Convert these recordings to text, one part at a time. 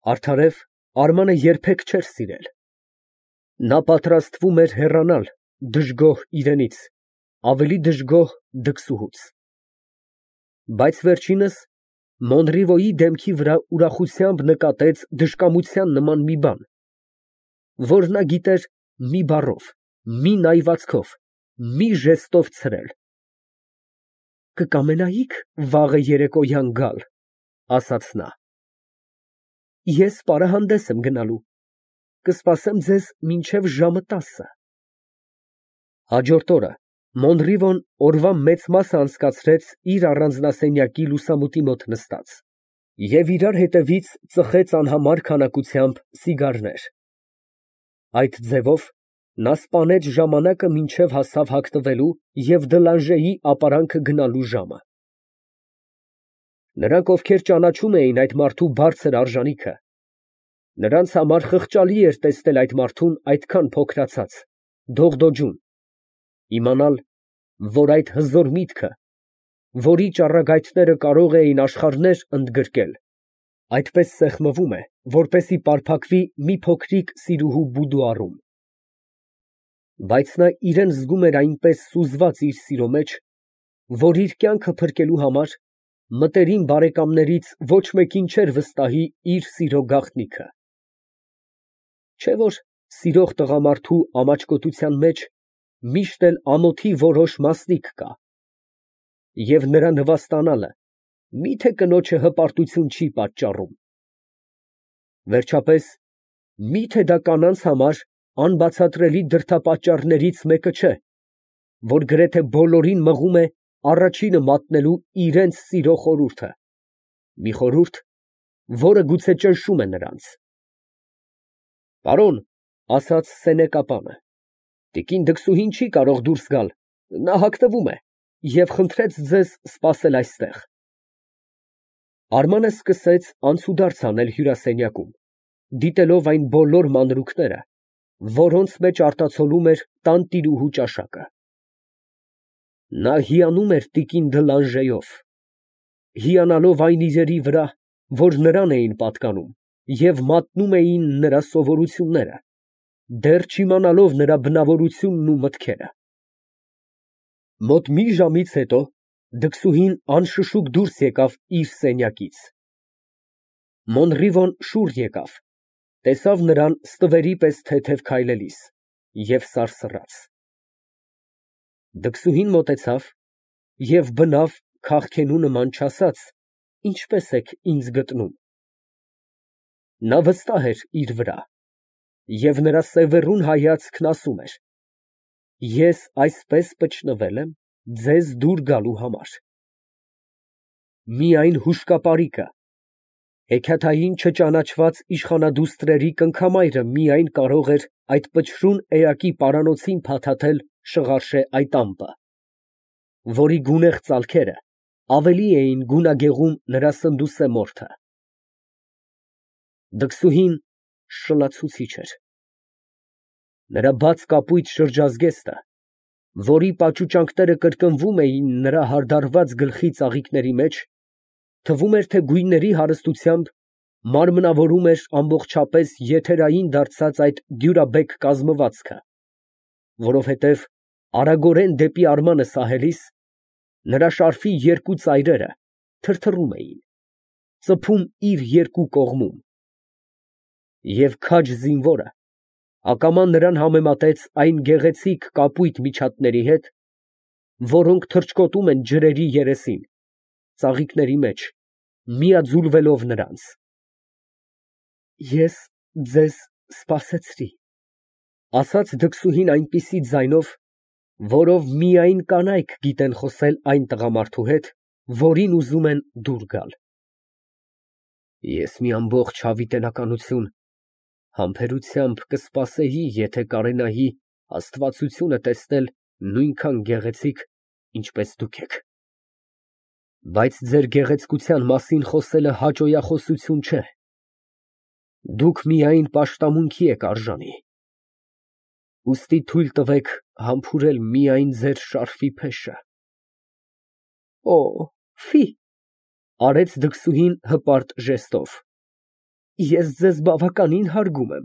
Արդարև Արմանը երբեք չէր սիրել. նա պատրաստվում էր հեռանալ դժգոհ իրենից, ավելի դժգոհ դքսուհուց։ Բայց վերջինս Մոնրիվոյի դեմքի վրա ուրախությամբ նկատեց դժկամության նման մի բան, որ նա գիտեր մի բառով, մի նայվածքով, մի ժեստով ցրել։ «Կկամենայի՞ք վաղը երեկոյան գալ», ֊ ասաց նա։ «Ես պարահանդես եմ գնալու, կսպասեմ ձեզ մինչև ժամը 10»։ Հաջորդ օրը Մոնրիվոն օրվա մեծ մասը անցկացրեց իր առանձնասենյակի լուսամուտի մոտ նստած և իրար հետևից ծխեց անհամար քանակությամբ սիգարներ։ Այդ ձևով նա սպանեց ժամանակը, մինչև հասավ հագնվելու և Դլանժեի ապարանքը գնալու ժամը։ Նրանք, ովքեր ճանաչում էին այդ մարդու բարձր արժանիքը, նրանց համար խղճալի էր տեսնել այդ մարդուն այդքան փոքրացած, դողդոջուն, իմանալ, որ այդ հզոր միտքը, որի ճառագայթները կարող էին աշխարհներ ընդգրկել, այդպես սեղմվում է, որպեսզի պարփակվի մի փոքրիկ սիրուհու բուդուարում։ Բայց նա իրան զգում էր այնպես սուզված իր սիրո մեջ, որ իր կյանքը փրկելու համար մտերիմ բարեկամներից ոչ մեկին չէր վստահի իր սիրո գաղտնիքը։ Չէ՞ որ սիրող տղամարդու ամաչկոտության մեջ միշտ էլ ամոթի որոշ մասնիկ կա, և նրա նվաստանալը մի՞թե կնոջը հպարտություն չի պատճառում։ Վերջապես, մի՞թե դա կանանց համար անբացատրելի դրդապատճառներից մեկը չէ, որ գրեթե բոլորին մղում է առաջինը մատնելու իրենց սիրո խորհուրդը, մի խորհուրդ, որը գուցե ճնշում է նրանց։ «Պարոն», ֊ ասաց սենեկապանը, ֊ տիկին դքսուհին չի կարող դուրս գալ, նա հագնվում է և խնդրեց ձեզ սպասել այստեղ։ Արմանը սկսեց անցուդարձ անել հյուրասենյակում, դիտելով այն բոլոր մանրուքները, որոնց մեջ արտացոլում էր տանտիրուհու ճաշակը։ Նա հիանում էր տիկին Դլանժեով, հիանալով այն իրերի վրա, որ նրան էին պատկանում և մատնում էին նրա սովորությունները, դեռ չիմանալով նրա բնավորությունն ու մտքերը։ Մոտ մի ժամից հետո դքսուհին անշշուկ դուրս եկավ իր սենյակից։ Մոնրիվոն շուռ եկավ, տեսավ նրան ստվերի պես թեթև քայլելիս և սարսռաց։ Դքսուհին մոտեցավ և բնավ քաղքենու նման չասաց. «Ինչպե՞ս եք ինձ գտնում»։ Նա վստահ էր իր վրա, և նրա սևեռուն հայացքն ասում էր. «Ես այսպես պճնվել եմ ձեզ դուր գալու համար»։ Միայն հուշկապարիկը, հեքիաթային չճանաչված իշխանադուստրերի կնքամայրը միայն կարող էր այդ պչռուն էակի պարանոցին փաթաթել Շղարշե այդ ամպը, որի գունեղ ծալքերը ավելի էին գունագեղում նրա սնդուսե մորթը։ Դքսուհին շլացուցիչ էր։ Նրա բաց կապույտ շրջազգեստը, որի պաճուճանքները կրկնվում էին նրա հարդարված գլխի ծաղիկների մեջ, թվում էր, թե գույների հարստությամբ մարմնավորում էր ամբողջապես եթերային դարձած այդ դյուրաբեկ կազմվածքը, որովհետև արագորեն դեպի Արմանը սահելիս, նրա շարֆի երկու ծայրերը թրթռում էին, ծփում իր երկու կողմում, և քաջ զինվորը ակամա նրան համեմատեց այն գեղեցիկ կապույտ միջատների հետ, որոնք թռչկոտում են ջրերի երեսին, ծաղիկների մեջ, միաձուլվելով նրանց։ «Ես ձեզ սպասեցրի», ֊ ասաց դքսուհին այնպիսի ձայնով, որով միայն կանայք գիտեն խոսել այն տղամարդու հետ, որին ուզում են դուր գալ։ «Ես մի ամբողջ հավիտենականություն համբերությամբ կսպասեի, եթե կարենայի աստվածությունը տեսնել նույնքան գեղեցիկ, ինչպես դուք եք։ Բայց ձեր գեղեցկության մասին խոսելը հաճոյախոսություն չէ, դուք միայն պաշտամունքի եք արժանի, ուստի թույլ տվեք համբուրել միայն ձեր շարֆի փեշը»։ «Օ, ֆի», ֊ արեց դքսուհին հպարտ ժեստով։ Ես ձեզ բավականին հարգում եմ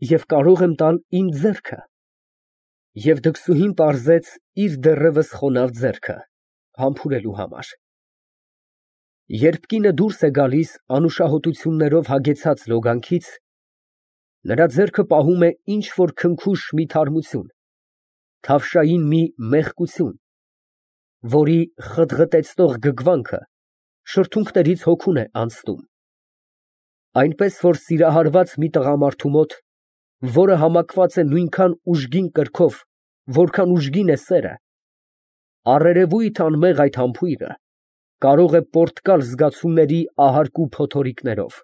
և կարող եմ տալ իմ ձեռքը։ Եվ դքսուհին պարզեց իր դեռևս խոնավ ձեռքը համբուրելու համար։ Երբ կինը դուրս է գալիս անուշահոտություններով հագեցած լոգանքից, նրա ձեռքը պահում է ինչ֊որ քնքուշ մի թարմություն, թավշային մի մեղկություն, որի խտղտեցնող գգվանքը շրթունքներից հոգուն է անցնում, այնպես որ սիրահարված մի տղամարդու մոտ, որը համակված է նույնքան ուժգին կրքով, որքան ուժգին է սերը, առերևույթ անմեղ այդ համբույրը կարող է պորտկալ զգացումների ահարկու փոթորիկներով։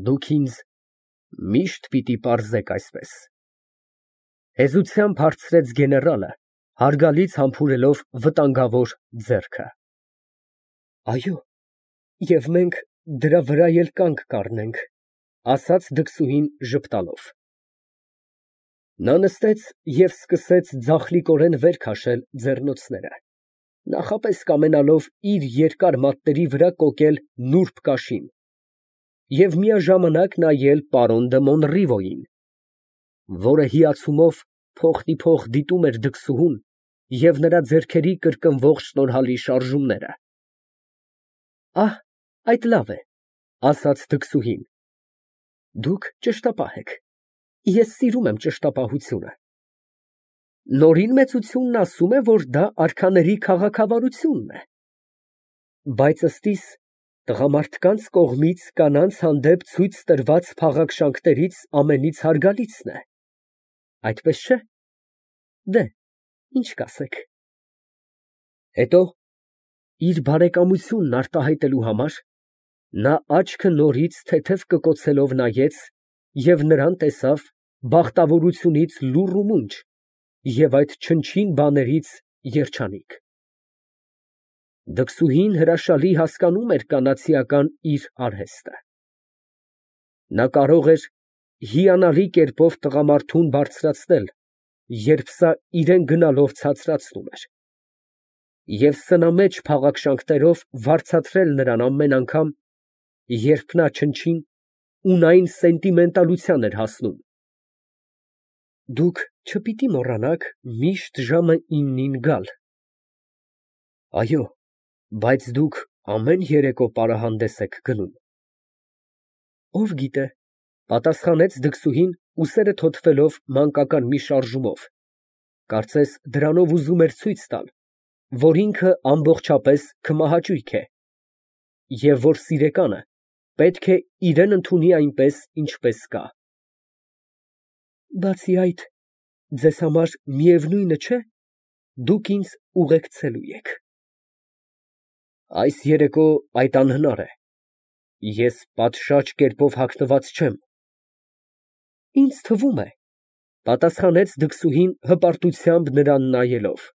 Դուք ինձ միշտ պիտի պարզեք այսպես, հեզությամբ հարցրեց գեներալը, հարգալից համբուրելով վտանգավոր ձեռքը։ Այո, և մենք դրա վրա էլ կանգ կառնենք, ասաց դքսուհին ժպտալով։ Նա նստեց և սկսեց ձախլիկորեն վեր քաշել ձեռնոցները, նախապես կամենալով իր երկար մատների վրա կոկել նուրբ կաշին և միաժամանակ նայել պարոն դը Մոնռիվոյին, որը հիացումով փոխնիփոխ դիտում էր դքսուհուն և նրա ձեռքերի կրկնվող շնորհալի շարժումները։ Ահ, այդ լավ է, ասաց դքսուհին, դուք ճշտապահ եք, ես սիրում եմ ճշտապահությունը։ Նորին մեծությունն ասում է, որ դա արքաների քաղաքավարությունն է, բայց ըստիս տղամարդկանց կողմից կանանց հանդեպ ցույց տրված փաղաքշանքներից ամենից հարգալիցն է, այդպես չէ՞։ Դե, ինչ կասեք։ Հետո, իր բարեկամությունն արտահայտելու համար, նա աչքը նորից թեթև կկոցելով նայեց և նրան տեսավ բախտավորությունից լուռ ու մունջ և այդ չնչին բաներից երջանիկ։ Դքսուհին հրաշալի հասկանում էր կանացիական իր արհեստը։ Նա կարող էր հիանալի կերպով տղամարդուն բարձրացնել, երբ սա իրան գնալով ցածրացնում էր, և սնամեջ փաղաքշանքներով վարձատրել նրան ամեն անգամ, երբ նա չնչին, ունայն սենտիմենտալության էր հասնում։ Դուք չպիտի մոռանաք միշտ ժամը 9-ին գալ։ Այո, բայց դուք ամեն երեկո պարահանդես եք գնում։ Ով գիտե, պատասխանեց դքսուհին ուսերը թոթվելով մանկական մի շարժումով, կարծես դրանով ուզում էր ցույց տալ, որ ինքը ամբողջապես քմահաճույք է, և որ սիրեկանը պետք է իրան ընդունի այնպես, ինչպես կա։ Բացի այդ, ձեզ համար միևնույնը չէ, դուք ինձ ուղեկցելու եք։ Այս երեկո այդ անհնար է, ես պատշաճ կերպով հագնված չեմ։ Ինձ թվում է, պատասխանեց դքսուհին հպարտությամբ նրան նայելով,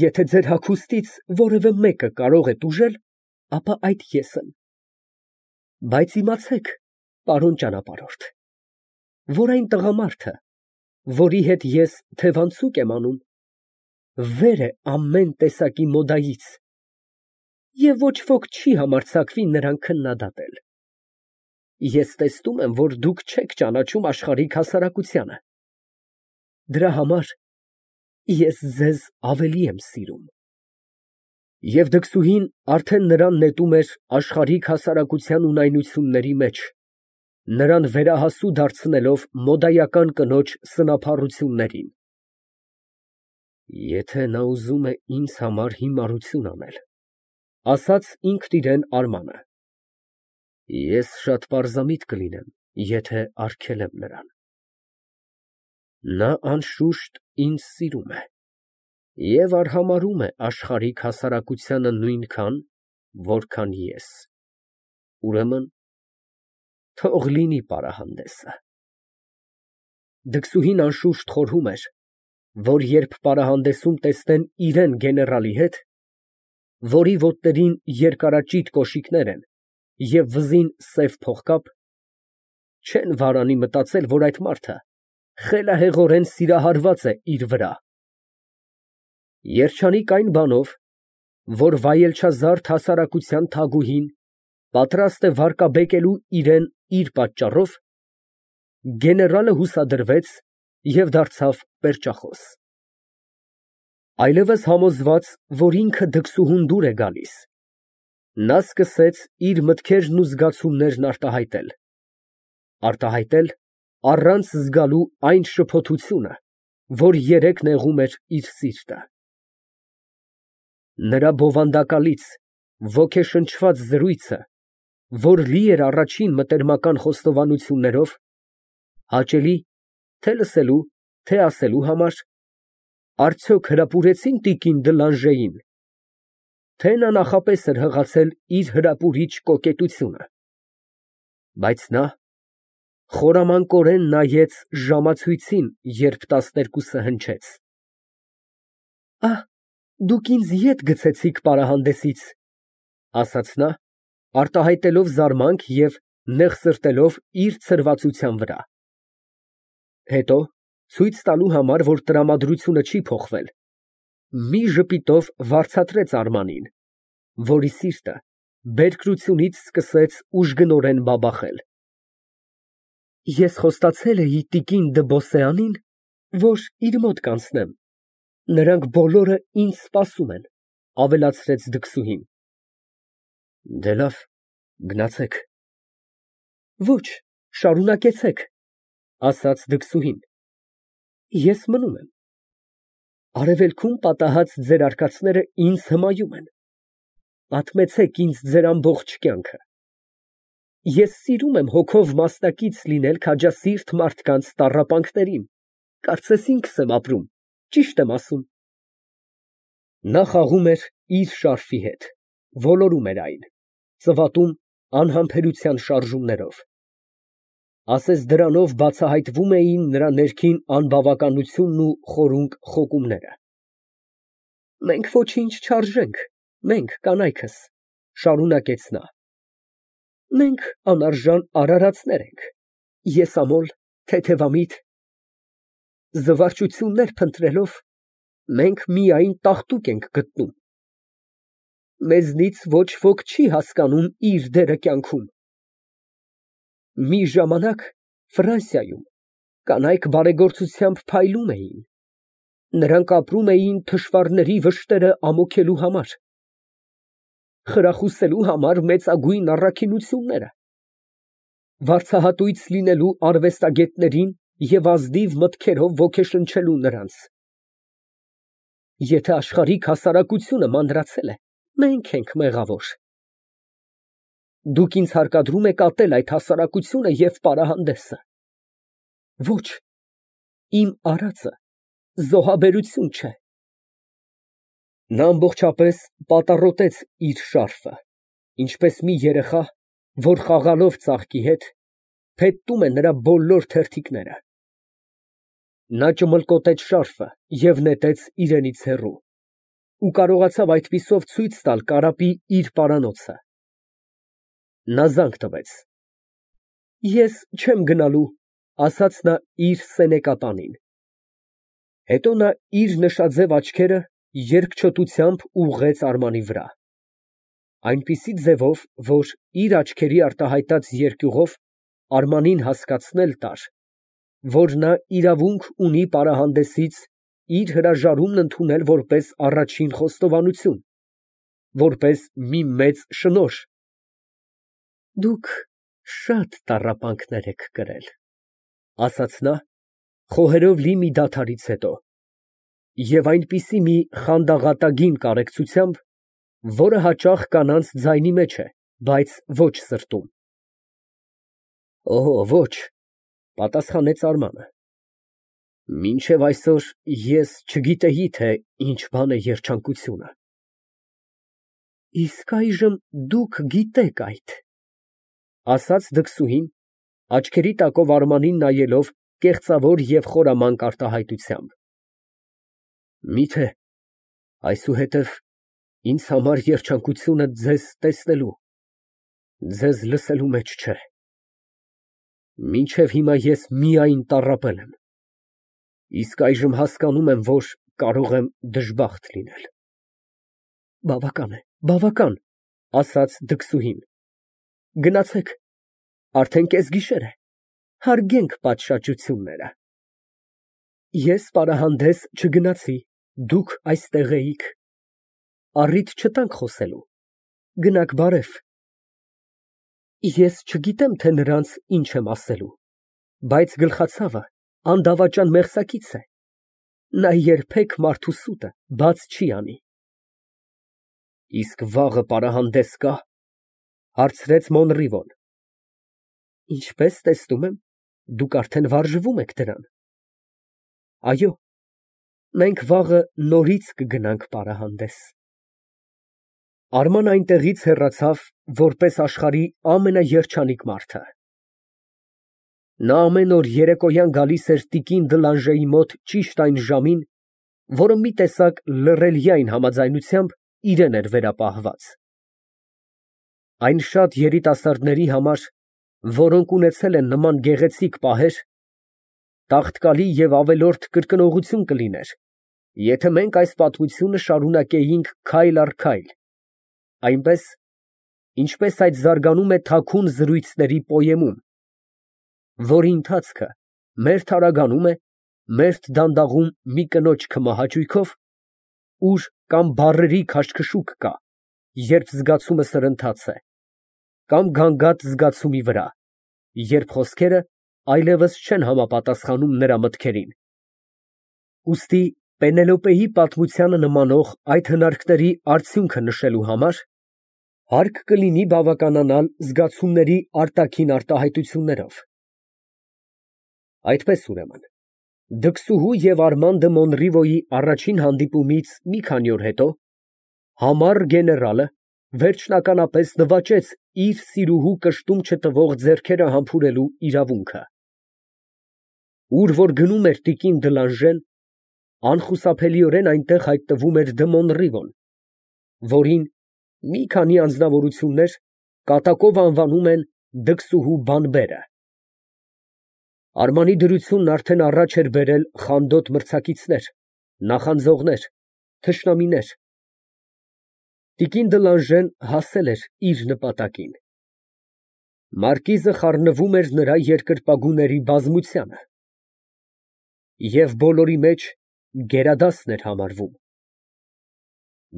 եթե ձեր հագուստից որևէ մեկը կարող է տուժել, ապա այդ ես եմ։ Բայց իմացեք, պարոն ճանապարհորդ, որ այն տղամարդը, որի հետ ես թևանցուկ եմ անում, վեր է ամեն տեսակի մոդայից, և ոչ ոք չի համարձակվի նրան քննադատել։ Ես տեսնում եմ, որ դուք չեք ճանաչում աշխարհիկ հասարակությանը։ Դրա համար ես ձեզ ավելի եմ սիրում։ Եվ դքսուհին արդեն նրան նետում էր աշխարհիկ հասարակության ունայնությունների մեջ, նրան վերահասու դարձնելով մոդայական կնոջ սնափառություններին։ Եթե նա ուզում է ինձ համար հիմարություն անել, ասաց ինքն իրան Արմանը, ես շատ պարզամիտ կլինեմ, եթե արգելեմ նրան։ Նա անշուշտ ինձ սիրում է և արհամարհում է աշխարհիկ հասարակությանը նույնքան, որքան ես։ Ուրեմն, թող լինի պարահանդեսը։ Դքսուհին անշուշտ խորհում էր, որ երբ պարահանդեսում տեսնեն իրան գեներալի հետ, որի ոտներին երկարաճիտ կոշիկներ են և վզին սև փողկապ, չեն վարանի մտածել, որ այդ մարդը խելահեղորեն սիրահարված է իր վրա։ Երջանիկ այն բանով, որ վայելչազարդ հասարակության թագուհին պատրաստ է վարկաբեկելու իրան իր պատճառով, գեներալը հուսադրվեց և դարձավ պերճախոս։ Այլևս համոզված, որ ինքը դքսուհուն դուր է գալիս, նա սկսեց իր մտքերն ու զգացումներն արտահայտել առանց զգալու այն շփոթությունը, որ երեկ նեղում էր իր սիրտը։ Նրա բովանդակալից, ոգեշնչված զրույցը, որ լի էր առաջին մտերմական խոստովանություններով, հաճելի թե լսելու, թե ասելու համար, արդյոք հրապուրեցին տիկին Դլանժեին, թե նա նախապես էր հղացել իր հրապուրիչ կոկետությունը, բայց նա խորամանկորեն նայեց ժամացույցին, երբ 12-ը հնչեց։ Դուք ինձ ետ գցեցիք պարահանդեսից, ասաց նա, արտահայտելով զարմանք և նեղ սրտելով իր ցրվածության վրա։ Հետո, ցույց տալու համար, որ տրամադրությունը չի փոխվել, մի ժպիտով վարձատրեց Արմանին, որի սիրտը բերկրությունից սկսեց ուժգնորեն բաբախել։ Ես խոստացել էի տիկին դը Բոսեանին, որ իր մոտ կանցնեմ, նրանք բոլորը ինձ սպասում են, ավելացրեց դքսուհին։ Դե լավ, գնացեք։ Ոչ, շարունակեցեք, ասաց դքսուհին։ Ես մնում եմ։ Արևելքում պատահած ձեր արկածները ինձ հմայում են։ Պատմեցեք ինձ ձեր ամբողջ կյանքը։ Ես սիրում եմ հոգով մասնակից լինել քաջասիրտ մարդկանց տառապանքներին, կարծես ինքս եմ ապրում, ճիշտ եմ ասում։ Նա խաղում էր իր շարֆի հետ, ոլորում էր այն, ծվատում անհամբերության շարժումներով։ Ասես դրանով բացահայտվում էին նրա ներքին անբավականությունն ու խորունկ խոկումները։ Մենք ոչինչ չարժենք, մենք կանայքս, շարունակեց նա։ Մենք անարժան արարածներ ենք, եսամոլ, թեթևամիտ։ Զվարճություններ փնտրելով, մենք միայն տաղտուկ ենք գտնում։ Մեզնից ոչ ոք չի հասկանում իր դերը կյանքում։ Մի ժամանակ Ֆրանսիայում կանայք բարեգործությամբ փայլում էին, նրանք ապրում էին թշվառների վշտերը ամոքելու համար, խրախուսելու համար մեծագույն առաքինությունները, վարձահատույց լինելու արվեստագետներին և ազնիվ մտքերով ոգեշնչելու նրանց։ Եթե աշխարհիկ հասարակությունը մանրացել է, մենք ենք մեղավոր։ Դուք ինձ հարկադրում եք ատել այդ հասարակությունը և պարահանդեսը։ Ոչ, իմ արածը զոհաբերություն չէ։ Նա ամբողջապես պատառոտեց իր շարֆը, ինչպես մի երեխա, որ խաղալով ծաղկի հետ, փետտում է նրա բոլոր թերթիկները։ Նա ճմլկոտեց շարֆը և նետեց իրենից հեռու ու կարողացավ այդպիսով ցույց տալ կարապի իր պարանոցը։ Նա զանգ տվեց։ Ես չեմ գնալու, ասաց նա իր սենեկատանին։ Հետո նա իր նշաձև աչքերը երկչոտությամբ ուղղեց Արմանի վրա, այնպիսի ձևով, որ իր աչքերի արտահայտած երկյուղով Արմանին հասկացնել տար, որ նա իրավունք ունի պարահանդեսից իր հրաժարումն ընդունել որպես առաջին խոստովանություն, որպես մի մեծ շնորհ։ Դուք շատ տառապանքներ եք կրել, ասաց նա, խոհերով լի մի դադարից հետո, և այնպիսի մի խանդաղատագին կարեկցությամբ, որը հաճախ կանանց ձայնի մեջ է, բայց ոչ սրտում։ Ոչ, պատասխանեց Արմանը, մինչև այսօր ես չգիտեի, թե ինչ բան է երջանկությունը։ Իսկ այժմ դուք գիտեք այդ, ասաց դքսուհին, աչքերի տակով Արմանին նայելով կեղծավոր և խորամանկ արտահայտությամբ։ Միթե այսուհետև ինձ համար երջանկությունը ձեզ տեսնելու, ձեզ լսելու մեջ չէ։ Մինչև հիմա ես միայն տառապել եմ, իսկ այժմ հասկանում եմ, որ կարող եմ դժբախտ լինել։ Բավական է, բավական, ասաց դքսուհին։ Գնացեք, արդեն կեսգիշեր է, հարգենք պատշաճությունները։ Ես պարահանդես չգնացի, դուք այստեղ էիք, առիթ չտանք խոսելու, գնաք բարև։ Ես չգիտեմ, թե նրանց ինչ եմ ասելու, բայց գլխացավը անդավաճան մեղսակից է, նա երբեք մարդու սուտը բաց չի անի։ Իսկ վաղը պարահանդես կա, հարցրեց Մոնրիվոն։ Ինչպես տեսնում եմ, դուք արդեն վարժվում եք դրան։ Այո, մենք վաղը նորից կգնանք պարահանդես։ Արմանն այնտեղից հեռացավ, որպես աշխարհի ամենաերջանիկ մարդը։ Նա ամեն օր երեկոյան գալիս էր տիկին Դլանժեի մոտ ճիշտ այն ժամին, որը մի տեսակ լռելիային համաձայնությամբ իրեն էր վերապահված։ Այն շատ երիտասարդների համար, որոնք ունեցել են նման գեղեցիկ պահեր, տաղտկալի և ավելորդ կրկնողություն կլիներ, եթե մենք այս պատմությունը շարունակեինք քայլ առ քայլ, այնպես, ինչպես այդ զարգանում է թաքուն զրույցների պոեմում, որի ընթացքը մերթ արագանում է, մերթ դանդաղում մի կնոջ քմահաճույքով, ուր կամ բառերի քաշքշուկ կա, երբ զգացումը սրընթաց է, կամ գանգատ զգացումի վրա, երբ խոսքերը այլևս չեն համապատասխանում նրա մտքերին։ Ուստի Պենելոպեի պատմությանը նմանող այդ հնարքների արդյունքը նշելու համար հարկ կլինի բավականանալ զգացումների արտաքին արտահայտություններով։ Այդպես ուրեմն, դքսուհու և Արման դը Մոնրիվոյի առաջին հանդիպումից մի քանի օր հետո համառ գեներալը վերջնականապես նվաճեց իր սիրուհու կշտում չտվող ձեռքերը համբուրելու իրավունքը։ Ուր որ գնում էր տիկին Դլանժեն, անխուսափելիորեն այնտեղ հայտնվում էր դը Մոնրիվոն, որին մի քանի անձնավորություններ կատակով անվանում են դքսուհու բանբերը։ Արմանի դրությունն արդեն առաջ էր բերել խանդոտ մրցակիցներ, նախանձողներ, թշնամիներ։ Տիկին Դլանժեն հասել էր իր նպատակին։ Մարկիզը խառնվում էր նրա երկրպագուների բազմությանը և բոլորի մեջ գերադասն էր համարվում։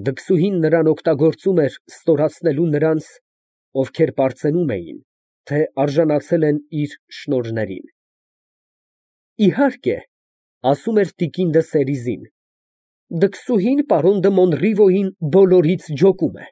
Դքսուհին նրան օգտագործում էր ստորացնելու նրանց, ովքեր պարծենում էին, թե արժանացել են իր շնորհներին։ Իհարկե, ասում էր տիկին դը Սերիզին, դքսուհին պարոն դը Մոնրիվոյին բոլորից ջոկում է։